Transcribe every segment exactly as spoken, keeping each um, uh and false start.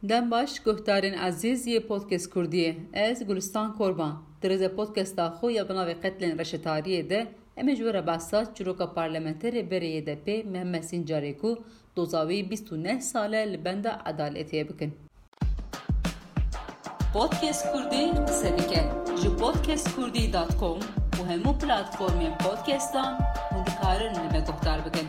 Dem baş, guhdarên ezîz yê Podcast Kurdiyê. Ez Gulistan Korban. Di rêze podcasta xwe ya bi navê Qetlên Reşetariyê de em ê ji we re behsa çîroka parlamenterê berê Y D P Mehmet Sincarê ku doza wî bîst û neh sal e li benda edaletê ye bikin. Podcast Kurdî qise dike. Ji podcast kurdî dot com û hemû platformên podcastan hûn dikarin li me guhdar bikin.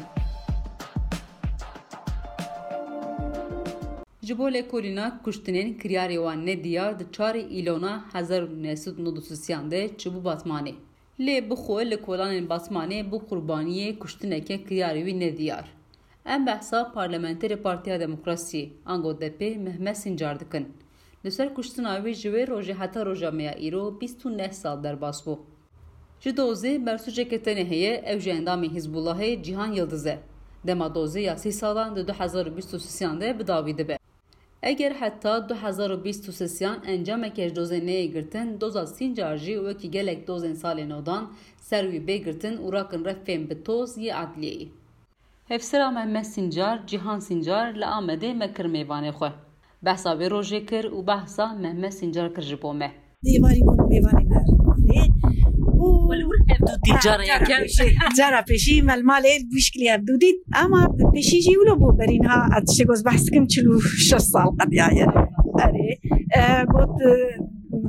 Ji bo lêkolîna kuştinên kiryarê wan nediyar di çarê Îlona hezar û neh sed û nod û sisiyan de çûbû Batmanê. Lê bi xwe li kolanên Batmanê bû qurbaniyê kuştineke kiryarê wî nediyar. Em behsa parlamenterê Partiya Demokrasiyê, ango D P, Mehmet Sincar dikin. Li ser kuştina wî ji wê rojê heta roja me ya îro bîst û neh sal derbas bû. Ji dozê bersûceke tenê heye, ew jî endamê Hizbullahê Cîhan Yildiz e. Dema dozê ya sî salan di du hezar û bîst û sisiyan de bi dawî dibe. Eger heta du hezar û bîst û sisiyan encameke ji dozê neyê girtin, doza Sincar jî wekî gelek dozên salên nodan ser wî bê girtin û rakin refên bi toz yê edliyeyê. Hevsera Mehmet Sincar, Cîhan Sincar li Amedê me kir mêvanê xwe. Behsa wê rojê kir û behsa Mehmet Sincar kir ji bo me. Êvarî bûn mêvanê me li malê. Û Wele wir hevdû dît cara yeke. Pêşî, cara pêşî me li malê bi şiklî hevdû dît. Ama pêşî jî wilo bû berî niha ez tiştê ku ez behs dikim çil û şeş sal qediyaye. Erê. E, got, e,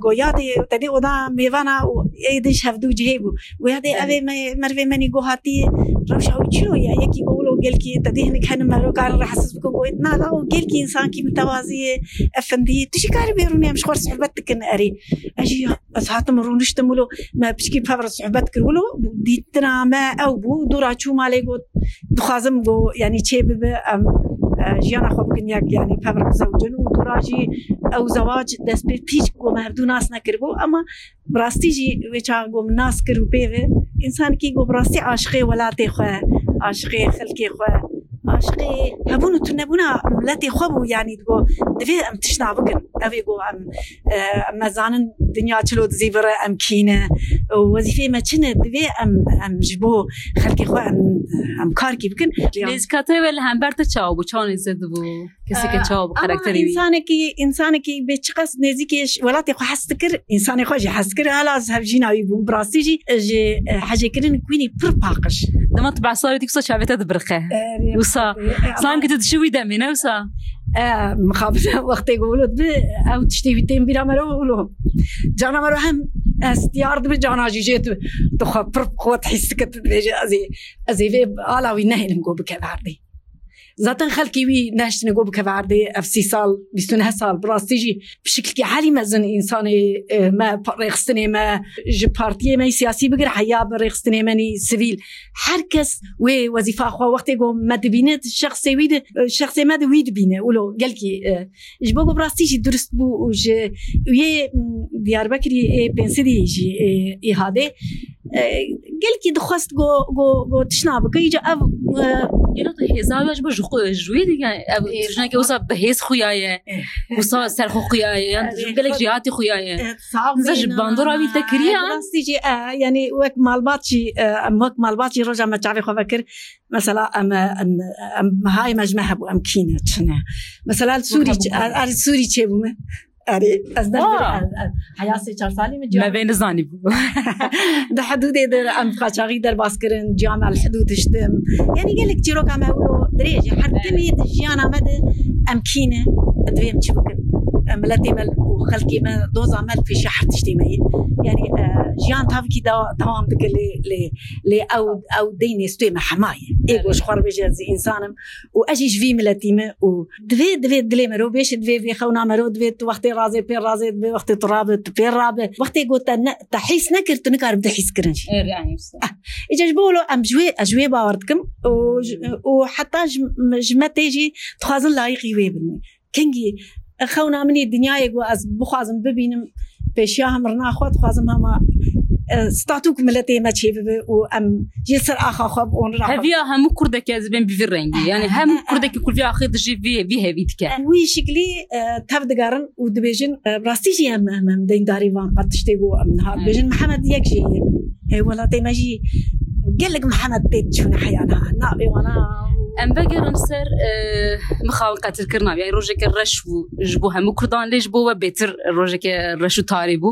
Go yadê te dê oda mêvana û ê din ji hevdû cihê bû. Go yadê Evet. Evê me, mervê menî go hatî rewşa wî çilo ye. Yekî go wilo gelkî te dê hinek henin mero karin rahatsiz bikin. Go na da o gelkî însankî mitewazî ye, efendî ye. Tu jî karî bê rûnê em ji xwe re sohbet dikin erê. Ez jî ez hatim rûniştim wilo me piçkî pev re sohbet kir wilo dîtina me ew bû. Dora çû malê got dixwazim go, yanî çê bibe, em, e, jiyana xwe bikin yek, yanî pev re bizewicin û dora jî ew zewac dest pê tîç go me hevdû nas nekiribû, ama bi rastî jî wê çax go min nas kir û pê ve însanekî go bi rastî aşiqê welatê xwe, aşiqê xelkê xwe, aşiqê hebûn û tunebûna miletê xwe bû, yanî digo divê em tiştna bikin. Ev ê go em, e, em me zanin dinya çilo dizî vire, em kî ne û wezîfeyê me çi ne, divê em, em ji bo xelkê xwe em, em karkî bikin. Nêzîkatiyê we li hember te çawa bû? Çawa nêzîk dibû? Keseke Ee, çawa bû ama karakterê wî? Însanekî, însanekî bê çiqas nêzîkê ş-, welatê xwe hez dikir, însanê xwe jî hez dikir, hala ez hevjîna wî bûm. Bi rastî jî, e, ji, e, hecêkirin wînî pir paqij. Dema tu behsa wê dî wisa çavê te dibiriqe. Erê, Wisa, erê, ama sankî tu dişî wî demê, ne wisa? E, mixabin wextê ku wilo dibi, ew tiştê wî tên bîra me re wilo. Cana me re hem ez diyar dibi, cana jî jê tu, tu xwe pir qwet hîs dike, tu dibêje, ez ê, ez ê vê ala wî nehêlim ku bikeve erdê. Zaten xelkê wî nehiştine ku bikeve erdê, ev sî sal, bîst û neh sal, bi rastî jî bi şiklikî herî mezin însanê, e, me, rêxistinê me, ji partiyê me yî siyasî bigir, heya bi rêxistinê me nî sivîl, her kes wê wezîfa xwe wextê ku me dibîne, şexsê wî di, şexsê me di wî dibîne. Wilo gelkî, e, ji bo ku bi rastî jî durist bû û ji wê, m, Diyarbekirî ê Pênsidî jî, e, îhadê, e, gelkî dixwest ku, ku, ku tişna bike. Îca ev, e, Gelo tu hêza wî ji bo ji xwe, ji wê dî, yani, ev Ê, jineke wisa bi hêz xuya ye, Ê. Wisa ser xwe xuya ye, yani Ê, gelek xwe jêhatî xuya ye. E, sax Nizam ji bêna. bandora wî te kiriye, E, ha? Rastî jî, e, yani wek malbat jî, e, em wek malbat jî roja me çavê xwe vekir. Mesela em, em, em, mehayê me ji me hebû, em kî ne, çi ne. Mesela li Sûrî, hebû, ç-, hebû. Er, er Sûrî çêbûme. Erê, ez der Aa. ez, ez, heya sê çar salî min Me ciya vê nizanî bû. Di hidûdê de em qaçaxî derbas kirin, ciya me li hidûd hiştim. Yani gelek çîroka me wilo dirêj e. Her Evet. timî di jiyana me de em kî ne, divê em çi bikin? Em miletê me û xelkê me, doza me li pêşiya her tiştê me ye. Yani, e, jiyan tavikî dewa-, dewam dike lê, lê, lê ew, ew deynê stûyê me hema ye. Ê Evet. ku ji xwe re bêje ez însan im û ez jî ji vî miletî me û Divê, divê dilê mero bêşe, divê vê xewna mero, divê tu wextê razê pê razê, divê wextê tu rabe, tu pê rabe. Wextê got te ne, te hîs nekir, tu nikarî bide hîs kirin jî. Erê, yani wisa. Ah, îca ji bo wilo em ji wê, ez ji wê bawer dikim û ji, û heta ji, ji me tê jî dixwazin layîqî wê bin. Kengî xewna min î dinyayê ku ez bixwazim bibînim, pêşiya hemrina xwe dixwazim hema, e, statûk miletê me çêbibe û em jê ser axa xwe bi onira xwe. Heviya hemû kurdekî ez bên bi vî rengî. Yani hemû kurdekî ku vî axê dijî vî, vî hevî dike. Wî şiklî, e, tev digerin û dibêjin, e, rastî jî em, em, em deyndarî van qet tiştê ku em niha Evet. dibêjin Mihemed yek jî ye. E, welatê me jî gelek Mihemed tê diçûne heya niha. Navê wana Em vegerin ser, e, mixabin qetilkirina, yani rojeke reş bû ji bo hemû Kurdan, lê ji bo we bêtir rojeke reş û tarî bû.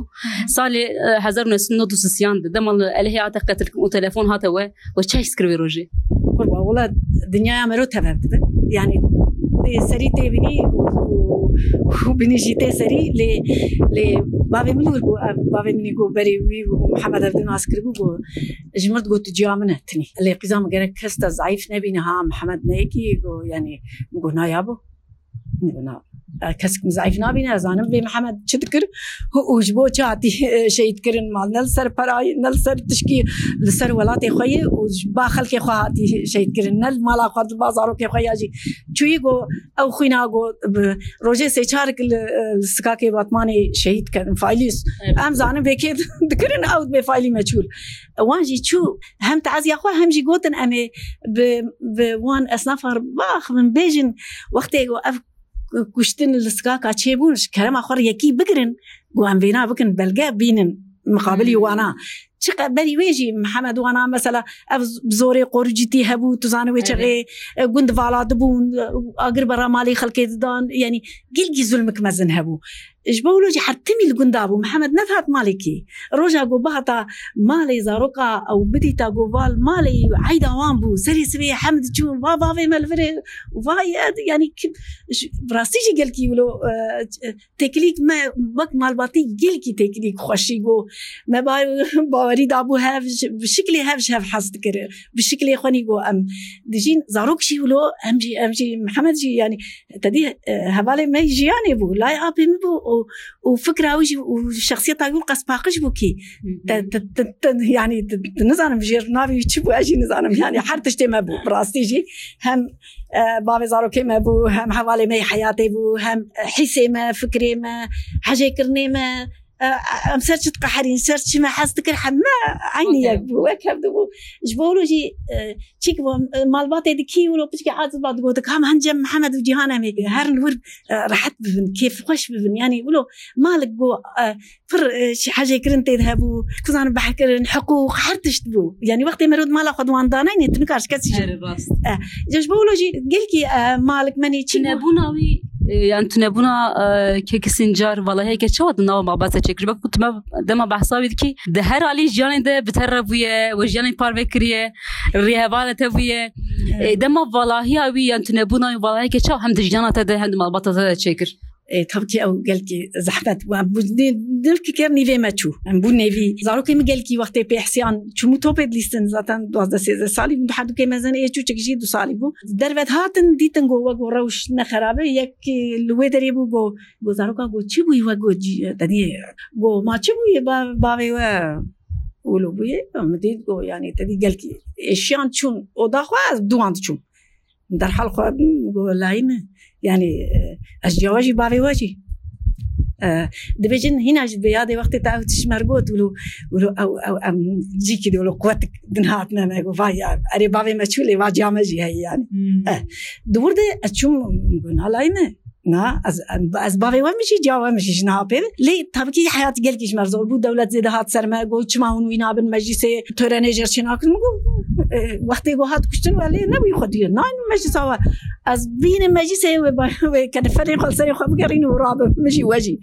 Salê, e, hezar û neh sed û nod û sisiyan de, dema li Elihê hate qetilkirin û telefon hate we, we çi his kir wê rojê? Qurban, wela dinyaya mero tev dibe. Yani tê serî tê binî û, û, û binî jî tê serî, lê, lê bavê min û bû, ev bavê min got berê wî û Mihemed ev din nas kiribû, got, ji mir digot, tu ciya min e, tinî. Lê qîza min gerek kes te zayîf nebîne ha, Mihemed ne yekî, got, yani, min got, na ya bo. Min got, na. E, kesik min zayîf nabîne, ez zanim vê Mihemed çi dikir û ji bo çi hatî, e, şehîd kirin, mal ne li ser perayî, ne li ser tişkî, li ser welatê xwe yê û ji ba xelkê xwe hatî şehîd kirin, ne li mala xwe, li ba zarokê xwe ya jî. Çûyî got, ew xwîna got, bi rojê sê çar li, li Sikakê Batmanê şehîd kirin, faîlî. Evet. Em zanin vê kê dikirin, ew dibê faîlî meçhûl. Wan jî çû hem teziya xwe hem jî gotin, em ê bi, bi wan esnafa re biaxivin, bêjin, wextê ku ev kuştin li Sikaka çêbûn, ji kerema xwe re yekî bigirin, ku em vêna bikin, belge bînin miqabilî Hmm. wana. Çiqe-, berî wê jî Mihemed wana, mesela, ev z-, bi zorê qoricîtî hebû, tu zanî wê Evet. çaxê, e, gund vala dibûn, e, agir bera malê xelkê didan, yani gelkî zulmik mezin hebû. Ji bo wilo jî her timî li gunda bû. Mihemed nedihat malekî. Roja ku bihata malê zaroka ew bidîta ku val malê eyda wan bû. Serê sibê hem diçûn, va bavê me li vir e, va ye, yani ki, ji, bi rastî jî gelkî wilo, e, têkilîk me wek malbatî gelkî têkilîk xweşî got. Me ba-, bawerî dabû hev, ji, bi şiklê hev ji hev hez dikir. Bi şiklê xwenî got em dijîn. Zarok jî wilo, em jî, em jî, Mihemed jî, yani, Tedî, e, hevalê me jiyanê bû, layê apê min bû û, û fikra wî jî û şexsiyeta wî qas paqij bû kî. Hı hı. Te, te, te, te, yani, te, te nizanim jêr navê wî çi bû, ez jî nizanim. Yani, her tiştê me bû, bi rastî jî. Hem, e, bavê zarokê me bû, hem hevalê me yê heyatê bû, hem, e, hîsê me, fikrê me, hejêkirinê me, e, em ser çi diqeherîn, ser çi me hez dikir, heme eynî Wek yek hev. bû, wek hev dibû. Ji bo wilo jî, e, çik bû, e, malbatê dikî wilo piçkê aciz ba digotik, ham hence Mihemed û Cîhan em ê herin wir, e, rehet bibin, kêfxweş bibin. Yani wilo malik got, e, pir, e, şi-, hejêkirin tê de hebû, kuzanin behkirin, hiqûq, her tişt bû. Yani wextê merod mala xwe di wan danayne, tu nikar ji kesî jî. Erê, rast. E, ji bo wilo jî gelkî, e, malik menî çi bû? Tunebûna wî, e, yani tunebûna, e, kekî Sincar, valahiyeke çawa di nava malbata çêkir? Wek ku tu me dema behsa wî dikî, di her alî jiyanê de bi te re bûye, we jiyanê parve kiriye, rêhevalê te bûye. Evet. E, dema valahiya wî, yani tunebûna wî, valahiyeke çawa hem di jiyana te de, hem di malbata te de çêkir? E, tabii ki ew gelkî zehmet bû. Em bû nê-, nivkî ker nîvê me çû. Em bû nêvî. Zarokê min gelkî wextê pê hisiyan çûmû topê dilîstin. Zaten duwazdeh sêzdeh salî bûn. Herdûkê mezin ê çûçik jî du salî bû. Derve dihatin dîtin got we got rewş ne xerabe. Yek, e, li wê derê bû got, got zaroka got çi bûyî we got cî-, tedî got ma çi bûyî ba-, bavê we wilo bûyî. Min dît got yani tedî gelkî êşiyan çûn oda xwe ez duwan diçûm. Derhal xwe got layî me. Yani, e, ez ciya we jî bavê we jî. E, dibêjin hîna jî bi yadê wextê te ew tişt ji me re got, wilo, wilo ew, ew, em cîkî de wilo quwetik din hatine me, got, vay ya, erê bavê me çû lê va ciya me jî heye yani. Hmm. E, di wir de ez çûm, got, na layî me. Na, ez, ez bavê we min jî, ciya we min jî ji niha pê. Lê tabii ki heyat gelkî ji me re zor bû. Dewlet zêde hat ser me, got, çima hûn wî nabin meclîsê törenê jêr çênakin? Min got, e, wextê got hat kuştin we lê nebûyî xwe diyê. Naynin meclîsa we. Ez bînim meclîsê wê ba-, wê keniferê xwe li serê xwe bigerînim û rabim. Min jî we jî.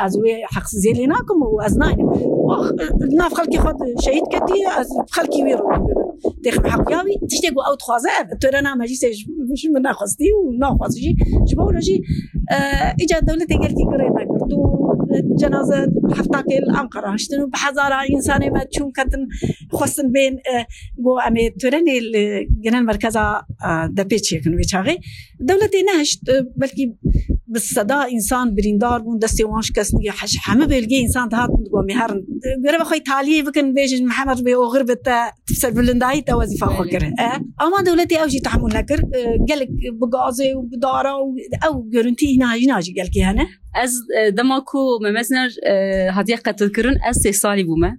Ez wê heqsiziyê lê nakim û ez naynim. Wax, e, nav xelkê xwe şehîd ketî, ez xelkî wî rû bibim. Têxim heqiya wî, tiştê ku ew dixwaze ev. Törena meclîsê ji, ji min nexwestî û naxwazî jî. Ji bo wilo jî, e, îca dewletê gelkî girê me girt û cenaze heftakê li Anqara hiştin û bi hezara însanê me çûn ketin xwestin bên, e, got em ê törenê li genel merkeza, e, depê çêkin wê çaxê. Dewletê nehişt, e, belkî bi seda însan birîndar bûn, destê wan şikestî, heş-, hemî bölgeyê însan dihatin digot em ê herin. E, gerek xwe taliyê bikin, bêjin Mihemed bê oxir bi te serbilindayî te wezîfa xwe Belê. kir. E, ama dewletê ew jî tehmûl nekir. E, gelek bi gazê û bi dara û ew görüntî hîna, hîna jî gelkî hene. Ez, e, dema ku Mehmet Sinar, e, hatiye qetilkirin, ez sê salî bûme.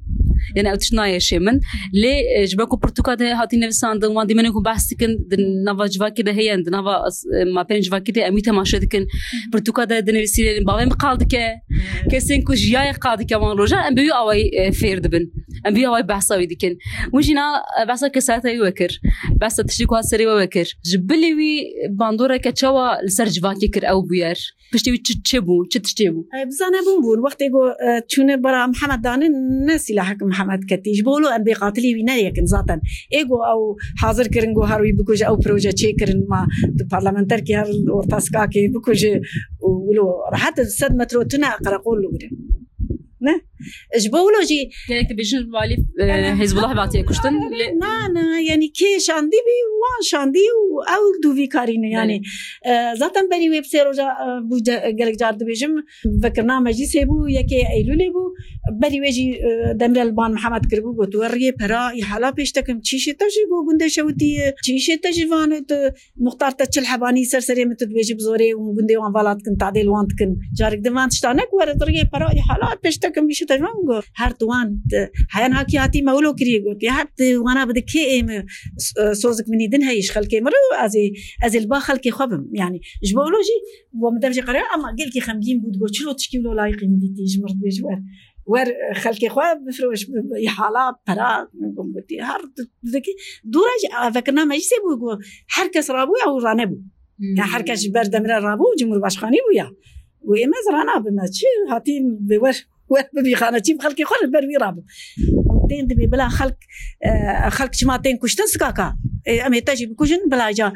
Yani ew tişt nayê şê min. Lê, e, ji ber ku pirtûka de hatî nivîsandin, wan dîmenên ku behs dikin, di nava civakê de heye, di nava, e, mapeyên civakê de em wî temaşe dikin. Pirtûka de dinivîsî, bavê min qal dike. Kesên ku jiyayê qal dike wan rojan, em bi wî awayî, e, fêr dibin. Em vî awayî behsa wî dikin. Hûn jî na behsa kesayeta wî wekir. Behsa tiştî ku hat serê we wekir. Ji bilî wî bandoreke çawa li ser civakê kir ew bûyer? Piştî wî çi, çi bû? Çi tiştê bû? E, bizane bûn bûn. Wextê ku, e, çûne bara Mihemed danin, ne sîlahek Mihemed ketî. Ji bo wilo em bê qatilî wî neyekin zaten. Ê ku ew hazir kirin ku her wî bikuje, ew proje çêkirin, ma tu parlamenterkî her orta sikakê bikuje û wilo rehet sed metro tune qereqol li wir e. Ne? Ji bo wilo jî Gelek dibêjin walî, e, Hizbullah hatiye kuştin. Na, na, yani kê şandî bî, wan şandî û ew dû vî karî ne, yani. Belê. E, zaten berî wê bi sê roja, e, bû ce-, gelek car dibêjim, vekirina meclîsê bû, yekê Eylûlê bû. Berî wê jî, e, Demirel ban Mihemed kiribû, got, "We riyê pera, îhala pêş te kim, çîşê te ji bo gundê Şewitî ye, çîşê te ji van, tu muxtar te çil hebanî ser serê min, tu dibêjî bi zorê û gundê wan vala dikin, tadê li wan dikin." Carek din van tişta ne ku were riyê pera, îhala pêş te kim, îşê te ji van got. Her tu wan, e, heyan hakî hatî me wilo kiriye got. Ya her tu wana bide kê ê min, e, sozik minî din heyî ji xelkê min re, ez ê, ez ê li ba xelkê xwe bim. Yani, ji bo wilo jî, bo min dev jî qere, ama gelkî xemgîn bû, digot, "Çilo tişkî wilo layîqî min dîtî, ji min re dibêjî wer. Wer, e, xelkê xwe bifroş, bi, bi, îhala, pera." Min gotî, her tu, tu dikî. Dûra jî, e, vekirina meclîsê bû, got, her kes rabû, ew ranebû. Hmm. Ya her kes ji ber Demirel rabû, cumhurbaşkanî bû ya. Got, "Ê me ez ranabim, ez çi hatî bi wer, wer bibî xane, çî bi xelkê xwe li ber wî rabim." Û tên dibê bila xelk, e, xelk çima tên kuştin sikaka? E, em ê te jî bikujin, bila ca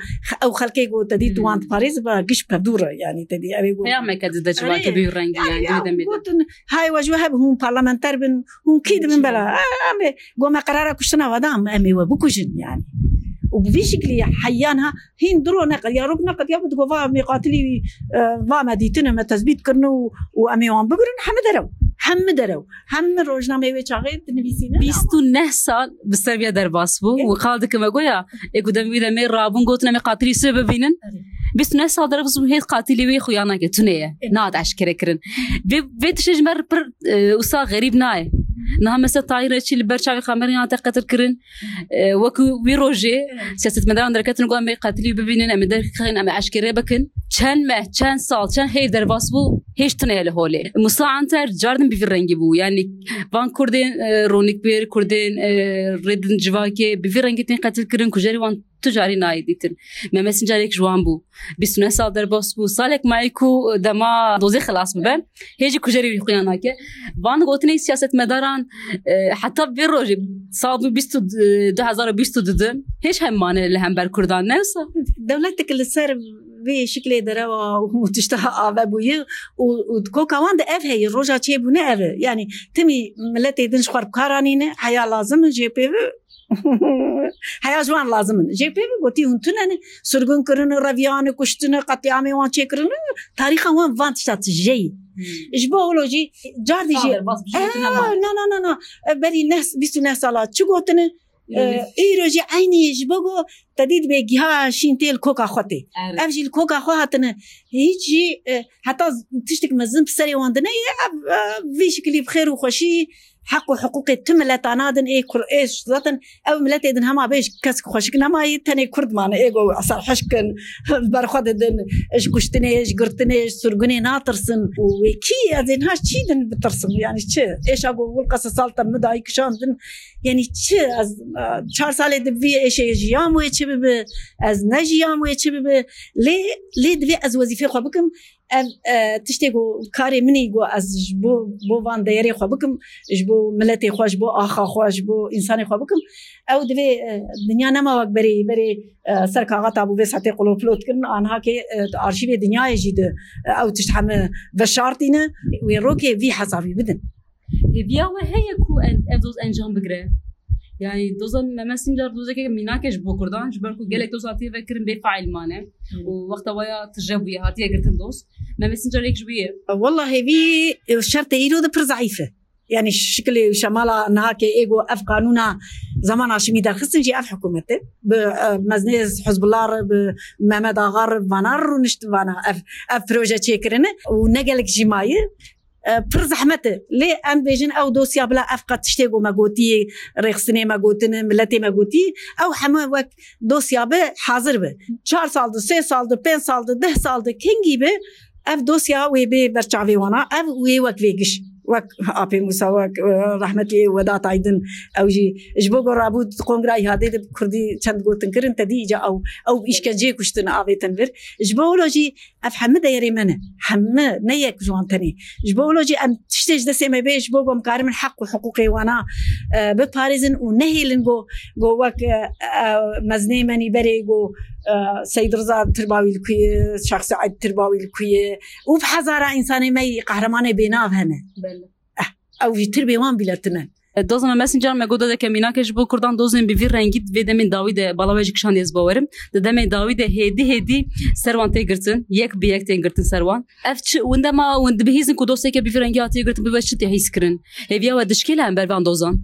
ew xelkê ku te dî tu wan diparêz, bila giş bi dû re, yani te dî ew ê ku Peyameke dide civakê bi rengî, yani, ya, dide me de. Gotin, "Hay we ji we hebin, hûn parlamenter bin, hûn kî dibin bela?" E, em ê, got, "Me qerara kuştina we da, em ê we bikujin, yani." Û bi vî şiklî heyan ha, hîn du ro neqediya, rok neqediya, bi digot, "Va me qatilî, e, va me dîtine, me tezbît kirine û, û em ê wan bigirin, hemi derew, hemi derew." Hemi rojnameyê wê çaxê dinivîsîne. Bîst û neh sal bi ser vê derbas bû. Evet. Û qal dike me goya, ê ku dem wî demê rabûn gotin, "Em ê qatilî sê bibînin." Evet. Bîst û neh sal derbas bû, hêt qatilî wê xuya nake, tune ye. Evet. Nat eşkere kirin. Vê, vê tiştê ji me re pir, e, wisa xerîb nayê. Niha mesela Tahîr Reçî li ber çavê kameran hate qetil kirin. E, wekî wî rojê siyasetmedaran derketin ku em ê qatilî bibînin, em ê derxin, em ê eşkere bikin. Çend meh, çend sal, çend heyv derbas bû, hêj tune ye li holê. Musa Anter cardin bi vî rengî bû. Yani van Kurdên, e, Ronikbêr, Kurdên, e, rêdin civakê bi vî rengî tên qetil kirin, kujerî wan tu carî nayê dîtin. Mehmet Sincar yek ji wan bû. Bîst û neh sal derbas bû. Salek mayî ku dema dozê xilas bibe. Hê jî kujerê wî xuya nake. Van gotinê siyasetmedaran, e, heta vê rojê, sal bû bîst û, du hezar û bîst û du, hêj hem mane li hember Kurdan, ne wisa? Dewletek li ser vê şiklê derewa û tişta ave bûye û, û di koka wan de ev heye, roja çêbûne ev e. Yani timî miletê din ji xwe re bi kar anîne, heya lazim in jê pê ve. Heya ji wan lazim in. Jê pê ve gotî hûn tune ne, sirgûn kirine, reviyane, kuştine, qetlîamê wan çêkirine, tarîxa wan van tişta tije ye. Hmm. Ji bo wilo jî cardî jî, Sadir, bas, bi jî tune ma. Na, na, na, na. E, berî neh, bîst û neh sala çi gotine? Îro, e, îro jî eynî ji bo go te dî dibe giha şîn tê li koka xwe tê. Evet. Ev jî li koka xwe hatine. Hiç jî, e, heta z-, tiştek mezin bi serê wan dineyê, ev, e, vî şikilî bi xêr û xweşî heq û hiqûqê tu mileta nadin, ê kur-, ê zaten ew miletê din hema bê ji kes xweşik nemayî, tenê Kurd mane, ê go serhişk in, ber xwe didin, ji kuştinê, ji girtinê, ji sirgûnê natirsin. Û wê kî ez ê niha çî din bitirsim? Yani çi? Êşa go wil qese sal te min dayî kişandin. Yani çi? Ez, e, çar salê di vî êşê jiyam wê çi bibi? Ez ne jiyam wê çi bibi? Lê, lê divê ez wezîfê xwe bikim. Ev, e, tiştê ku karê min î ku ez ji bo, bo van deyerê xwe bikim, ji bo miletê xwe, ji bo axa xwe, ji bo însanê xwe bikim, ew divê, e, dinya nema wek berê, berê, e, ser kaxeta bû vê saetê qulopilot kirin, anha kê, e, arşîvê dinyayê jî di, e, ew tişt heme veşartîne, wê rokê vî hesabî bidin. Hêviya we heye ku en-, ev doz encam bigire? Yani doza Mehmet Sincar dozeke mînak e ji bo Kurdan, ji ber ku gelek doz hatiye vekirin bê faîl mane. Hmm. Û wexta waya tije bûye, hatiye girtin doz. Mehmet Sincar yek ji wî ye. Walla hêvî, e, şertê îro de pir zeîf e. Yani şikilê û şemala niha ke ê go ev qanûna Zeman Haşimî derxistin jî ev hikûmet e. Bi, e, meznê Hizbullah re, bi Mehmet Axa re, vana re rûnişt, vana ev, ev proje çêkirine û ne gelek jî maye. E, pir zehmet e. Lê em bêjin ew dosya bila ev qet tiştê ku me gotiyê, rêxistinê me gotine, miletê me gotî, ew hemû wek dosya be hazir be. Çar sal di, sê sal di, pênc sal di, deh sal di, kengî be, ev dosya wê bê ber çavê wana, ev wê wek vê giş. Wek Apê Mûsa, wek, e, rehmetî Wedat Aydin, ew jî ji bo ku rabû kongra îhadê de bi kurdî çend gotin kirin, te dî îca ew, ew îşkenceyê kuştin avêtin vir. Ji bo wilo jî ev hemû deyerê me ne. Hemû, ne yek ji wan tenê. Ji bo wilo jî em tiştê ji destê me bê, ji bo ku em karimin heq û hiqûqê wana, e, biparêzin û nehêlin ku, ku wek, e, e, mezinê me nî berê ku, e, Seyîd Riza tirba wî li ku ye, Şax Seîd tirba wî li ku ye û bi hezara însanê me yî qehremanê bênav hene. Belê. Eh, ew jî tirbê wan bîle tune. Doza me Messenger me got, dodeke mînake ji bo kurdan dozên bi vî rengî di vê demên dawî de bala we jî kişandiye ez bawerim. Di demê dawî de hêdî hêdî ser wan tê girtin. Yek bi yek tên girtin ser wan. Ev çi, winde ma, win dibihîzin ku dosteke bi vî rengî hatiye girtin, bi we çi tê hîs kirin? Hêviya we dişkêle hember van dozan?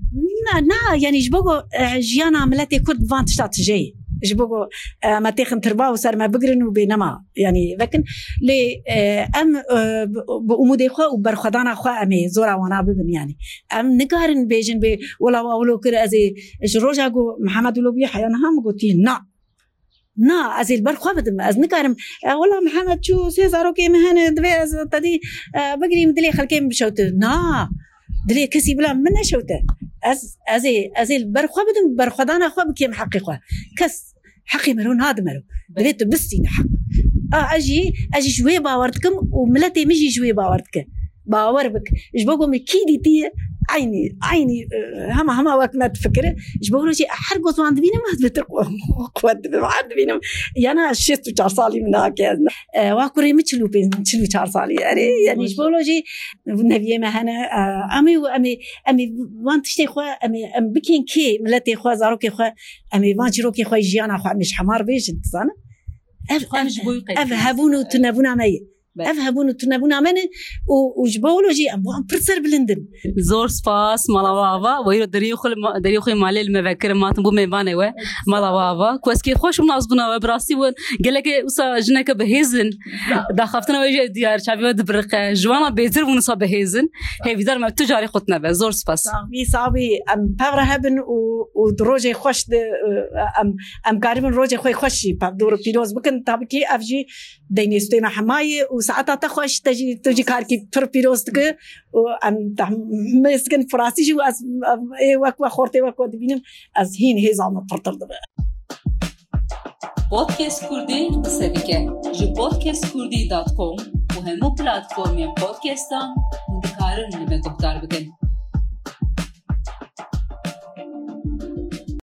Na, na, yanî ji bo ku, e, jiyana miletê Kurd van tişta tije ye. Ji bo ku, e, me têxin tirba û ser me bigirin û bê nema. Yanî vekin, lê, e, em, e, bi, bi umûdê xwe û berxwedana xwe em ê zora wana bibin yanî. Em nikarin bêjin bê, wela wa wilo kir, ez ê ji roja ku Mihemed wilo bûye heya niha min gotî, na. Na, ez ê li ber xwe bidim, ez nikarim. E, wela Mihemed çû, sê zarokê min hene, divê ez te dî, e, bigirîm, dilê xelkê min bişewte. Na, dilê kesî bila min neşewte. Ez, ez ê, ez ê li ber xwe bidim, berxwedana xwe bikêm heqê xwe. Kes heqê mero nade mero. Divê tu bistîne heq. A, ez jî, ez jî ji wê bawer dikim û miletê min jî ji wê bawer dike. Bawer bik. Ji bo ku min kî dîtiye, eynî, eynî, e, hema, hema wek me difikire. Ji bo rojê her ku wan dibînim, ez bêtir qu-, quwet dibim, her dibînim. Yana şêst û çar salî min hake ez. E, wa kurê min çil û pênc, çil û çar salî. Erê, yanî ji bo rojê neviyê me hene, e, em ê, em ê, em ê van tiştê xwe, em ê, em bikên kê, miletê xwe, zarokê xwe, em ê van çîrokê xwe, jiyana xwe, em ê ji hemar bêjin, dizanin? Ev, Xwe ev, ji bo wî qey ev hebûn û tunebûna me ye. Be. Ev hebûn û tunebûna me ne û, û ji bo wilo jî em wan pir serbilind in. Zor spas, mala we ava. We îro deriyê xwe li ma-, deriyê xwe malê li me vekirin, matin bû mêvanê we. Mala we ava. Ku ez kêfxweş bûm, nas bûna we, bi rastî we gelekê wisa jineke bihêz in. Daxaftina we jî diyar, çavê we dibiriqe. Ji wana bêtir bûn wisa bihêz in. Hêvîdar me tu carî xwe tune be. Zor spas. Sax bî, sax bî. Em pevre hebin û, û di rojê xweş de, em, em karibin rojê xwe xweş jî pevdor û pîroz bikin. Tabî kî ev jî deynê stê me hemayê û saeta te xweş, te jî, tu jî karkî pir pîroz dike û em te mêz dikin firasî jî û ez, em, ê wek we xortê wek we dibînim, ez hîn hêza min pirtir dibe. Podcast Kurdî qise dike. Ji podcast kurdî dot com û hemû platformên podcastan hûn dikarin li me guhdar bikin.